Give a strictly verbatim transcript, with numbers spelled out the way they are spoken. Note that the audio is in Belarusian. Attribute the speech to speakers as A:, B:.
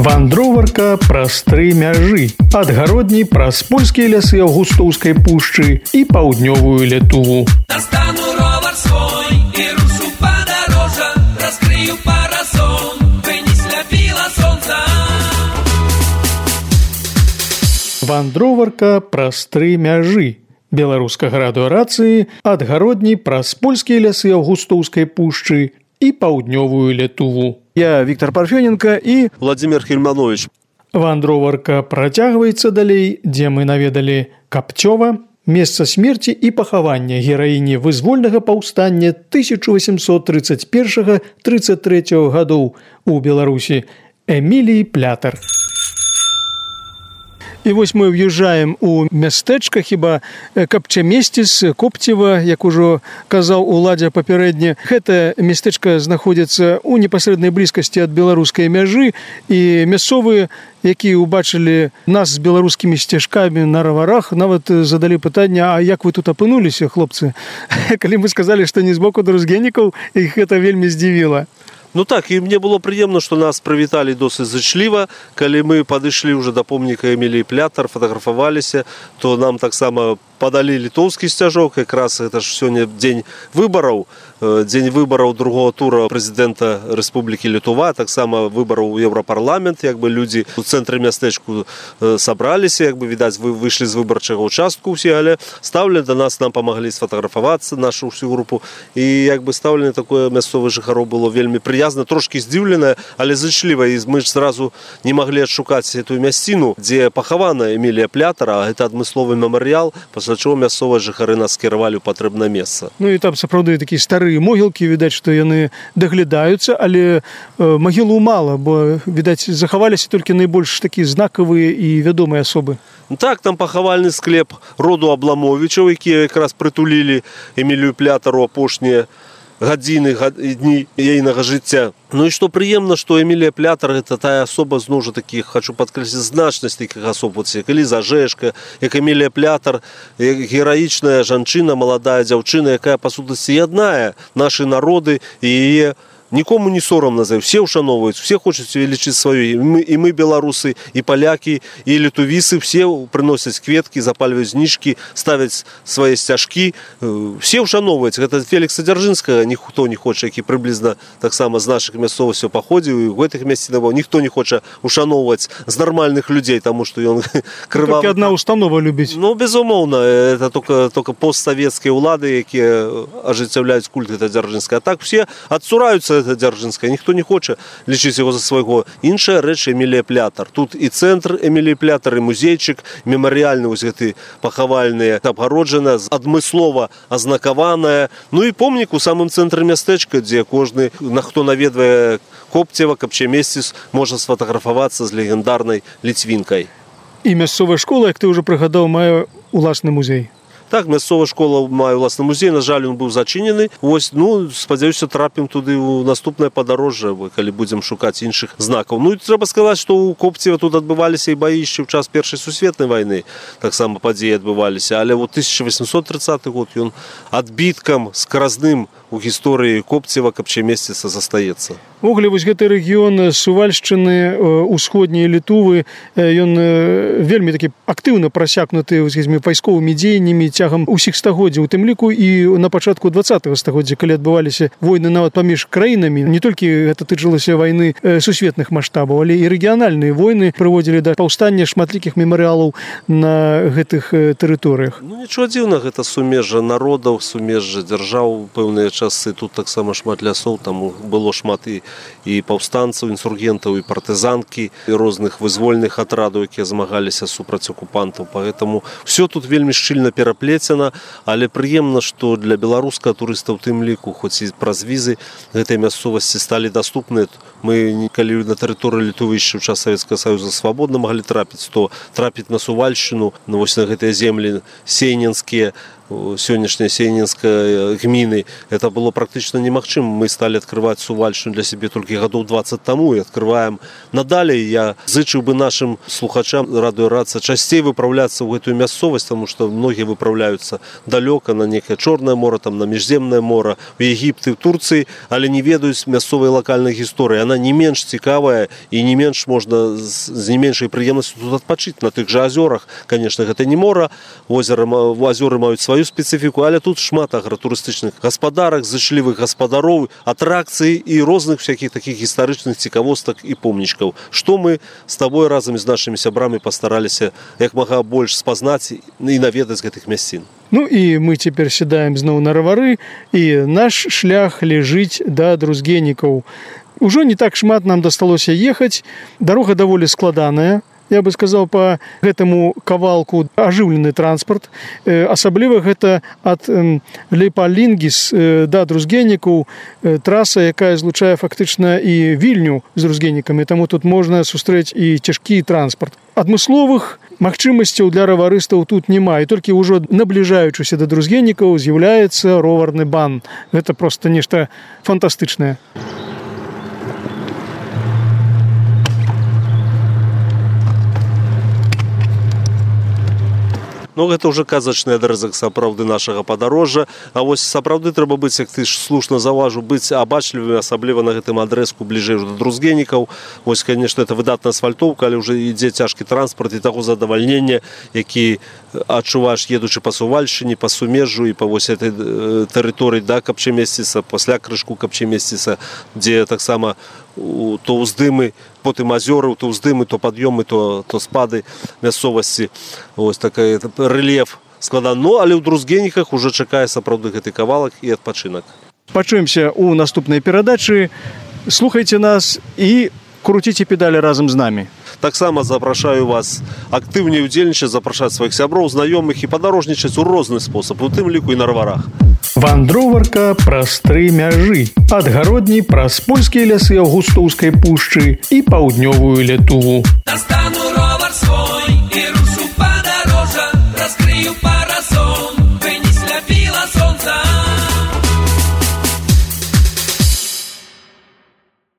A: Вандроварка праз тры мяжы. Адгародні праз польскія лясы Аўгустоўскай пушчы і паўднёвую Літву.
B: Достану ровар свой і рушу падарожжа, раскрыю парасон, бы не сляпіла сонца.
A: Вандроварка праз тры мяжы. Беларускага радыёрацыі адгародні праз польскія лясы Аўгустоўскай пушчы і паўднёвую Літву.
C: Я Віктор Парфёненко і
D: Владимир Хельманович.
A: Вандроварка працягваецца далей, дзе мы наведалі Капцёва, месца смерці і пахавання гераіні вызвольнага паўстання тысяча восемьсот тридцать первого — тридцать третьего гадоў у Беларусі Эміліі Плятар. І вось мы ўязджаем у мястэчка, хіба Капчамесціс, Копцева, як ужо казаў Уладзя папярэдне. Гэта мястэчка знаходзіцца ў непасрэднай блізкасці ад беларускай мяжы, і мясцовыя, якія ўбачылі нас з беларускімі сцяжкамі на раварах, нават задалі пытанне: а як вы тут апынуліся, хлопцы? Калі мы сказалі, што не з боку друзгенікаў, іх гэта вельмі здзівіла.
D: Ну так, і мне было прыемна, што нас прывіталі досыць зычліва. Калі мы падышлі ўжо да помніка Эміліі Плятар, фатаграфаваліся, то нам таксама падалі літоўскі сцяжок. Якраз гэта ж сёння дзень выбараў, дзень выбараў другого тура прэзідэнта Рэспублікі Літва, таксама выбараў у Еўрапарламент. Як бы людзі ў цэнтры мястэчку сабраліся, як бы відаць, вы выйшлі з выбарчага ўчастку ўсе, але стаўлі да нас, нам памаглі сфатаграфавацца, нашу ўсю групу. І як бы стаўленне такое мясцовых жыхароў было вельмі прыязна, трошкі здзіўленае, але зычліва. І мы ж зразу не маглі адшукаць гэтую мясціну, дзе пахавана Эмілія Плятар, а гэта адмысловы мемарыял, пасля чаго мясцовыя жыхары нас скіравалі ў патрэбнае месца.
A: Ну і там сапраўды такія старыя могілкі, відаць, што яны даглядаюцца, але э, магілу мала, бо, відаць, захаваліся толькі найбольш такія знакавыя і вядомыя асобы.
D: Так, там пахавальны склеп роду Абламовічаў, якія якраз прытулілі Эмілію Плятару апошнія гадзіны, дні ейнага жыцця. Ну і што прыемна, што Эмілія Плятар — гэта тая асоба, зноў жа такіх, хочу падкрэсліць, значнасць такіх асоб, вот, як Эліза Жэшка, як Эмілія Плятар, гераічная жанчына, маладая дзяўчына, якая па сутнасці яднае нашы народы, і яе нікому не сорамна за, все ушановваюць, все хочуць увелічыць сваю, і мы, і мы беларусы, і палякі, і літувісы, все прыносяць кветкі, запальваюць знішкі, ставяць свае сцяжкі, все ушановваюць. Гэта Фелікса Дзяржынскага ніхто не хоча, які прыблізна таксама з нашых мясцовасцяў паходзіў, і ў гэтых мясцінах ніхто не хоча ушановваць з нармальных людзей, таму што ён крывавы.
A: Толькі адна установа любіць.
D: Ну, безумоўна, это только, только постсавецкія ўлады, якія ажыццяўляюць культ гэта Дзяржынскага. А так все адсураюцца Дзяржынская, ніхто не хоча лічыць яго за свайго. Іншая рэч — Эмілія Плятар. Тут і цэнтр Эміліі Плятар, і музейчык мемарыяльны, вось гэты пахавальны, абгароджана, адмыслова азнакаваная. Ну і помнік у самым цэнтры мястэчка, дзе кожны, на хто наведвае Копцева, Капчамесціс, можа сфатаграфавацца з легендарнай ліцвінкай.
A: І мясцовая школа, як ты ўжо прыгадаў, мае уласны музей.
D: Так, мясцовая школа мае ўласны музей, на жаль, ён быў зачынены. Вось, ну, спадзяюся, трапім туды ў наступнае падарожжа, калі будзем шукаць іншых знакаў. Ну, і трэба сказаць, што ў Копцева тут адбываліся і баі яшчэ ў час Першай сусветнай вайны. Таксама падзеі адбываліся. Але вот тысяча восемьсот тридцаты год ён адбіткам скаразным у гісторыі Копцева, Капчамесціса застаецца.
A: Вогуле, вось гэты рэгіён Сувальшчыны, усходняй Літвы, ён вельмі такі актыўна прасякнуты вайсковымі дзеяннямі цягам усіх стагоддзяў, у тым ліку і на пачатку двадцатага стагоддзя, калі адбываліся войны нават паміж краінамі. Не толькі гэта тычылася вайны сусветных маштабаў, але і рэгіянальныя войны прыводзілі да паўстання шматлікіх мемарыялаў на гэтых тэрыторыях.
D: Ну, нічого дзіўнага, гэта сумежжа народаў, сумежжа дзяржаў, пэўныя часы. Тут таксама шмат лясоў, там было шмат і і паўстанцаў, інсургентаў, і партызанкі, і розных вызвольных атрадаў, якія змагаліся супраць акупантаў. Поэтому все тут вельмі шчыльна пераплецена, але прыемна, што для беларускага турыста ў тым ліку, хоць і праз візы, гэтай мясцовасці сталі даступныя. Мы, калі на тэрыторыі Літвы яшчэ ў час Савецкага Саюза свабодна маглі трапіць, то трапіць на Сувальшчыну, ну, вось на гэтыя землі сейненскія, сегодняшней Сейнинской гмины, это было практически немагчыма. Мы стали открывать Сувальщину для себя только годов двадцать тому и открываем надалее. Я зычу бы нашим слухачам радиорация частей выправляться в эту мясцовость, потому что многие выправляются далеко на некое Черное море, там, на Межземное море, в Египте, в Турции, але не ведают мясцовой локальной истории. Она не меньше цікавая и не меньше можно с не меньшей приемностью тут отпочить на тех же озерах. Конечно, это не море, озеро, озера имеют свою специфику, але тут шмат агратурыстычных гаспадарак, зычлівых гаспадароў, атракцый и розных всяких таких историчных цікавосток и помнічкаў. Что мы с тобой разом с нашими сябрамі постарались як мага больше спознать и наведать этих мясцін.
A: Ну и мы теперь седаем зноў на равары, и наш шлях лежить до Друзгенікаў. Уже не так шмат нам дасталося ехать, дорога даволі складаная. Я бы сказал, по гэтаму кавалку ажыўлены транспорт. Асабліва гэта ад Лейпалінгіс да Друзгенікаў траса, якая злучае фактычна і Вільню з Друзгенікамі, таму тут можна сустрэць і цяжкі транспорт. Адмысловых магчымасцяў для раварыстаў тут няма, і толькі ўжо набліжаючыся да Друзгенікаў з'яўляецца роварны бан. Гэта проста нешта фантастычнае.
D: Ну, гэта ўжо казачны адрэзак сапраўды нашага падарожжа. А вось сапраўды трэба быць, як ты ж слушна заўважыў, быць абачлівым, асабліва на гэтым адрэзку бліжэй да Друзгенікаў. Вось, конечно, это выдатная асфальтоўка, але ўжо ідзе цяжкі транспорт і таго задавальнення, які адчуваеш, едучы па Сувальшчыне, па Сумежжу і па вось этой тэрыторыі да Капчамесціса, пасля крышку Капчамесціса, дзе таксама то ўздымы, потым азёры, то ўздымы, то пад'ёмы, то, то спады мясцовасці. Ось такой рэльеф складаны. Ну, але ў Друзгеніках уже чакае сапраўды гэты кавалак і адпачынак.
A: Пачуемся ў наступнай перадачы. Слухайце нас і круціце педалі разам з намі.
D: Таксама запрашаю вас актыўней удзельнічаць, запрашаць сваіх сяброў, знаёмых і падарожнічаць у розны спосаб, у тым ліку і на раварах.
A: Вандроварка праз тры мяжы. Ад гародні праз польскія лясы Аўгустоўскай пушчы і паўднёвую Літву.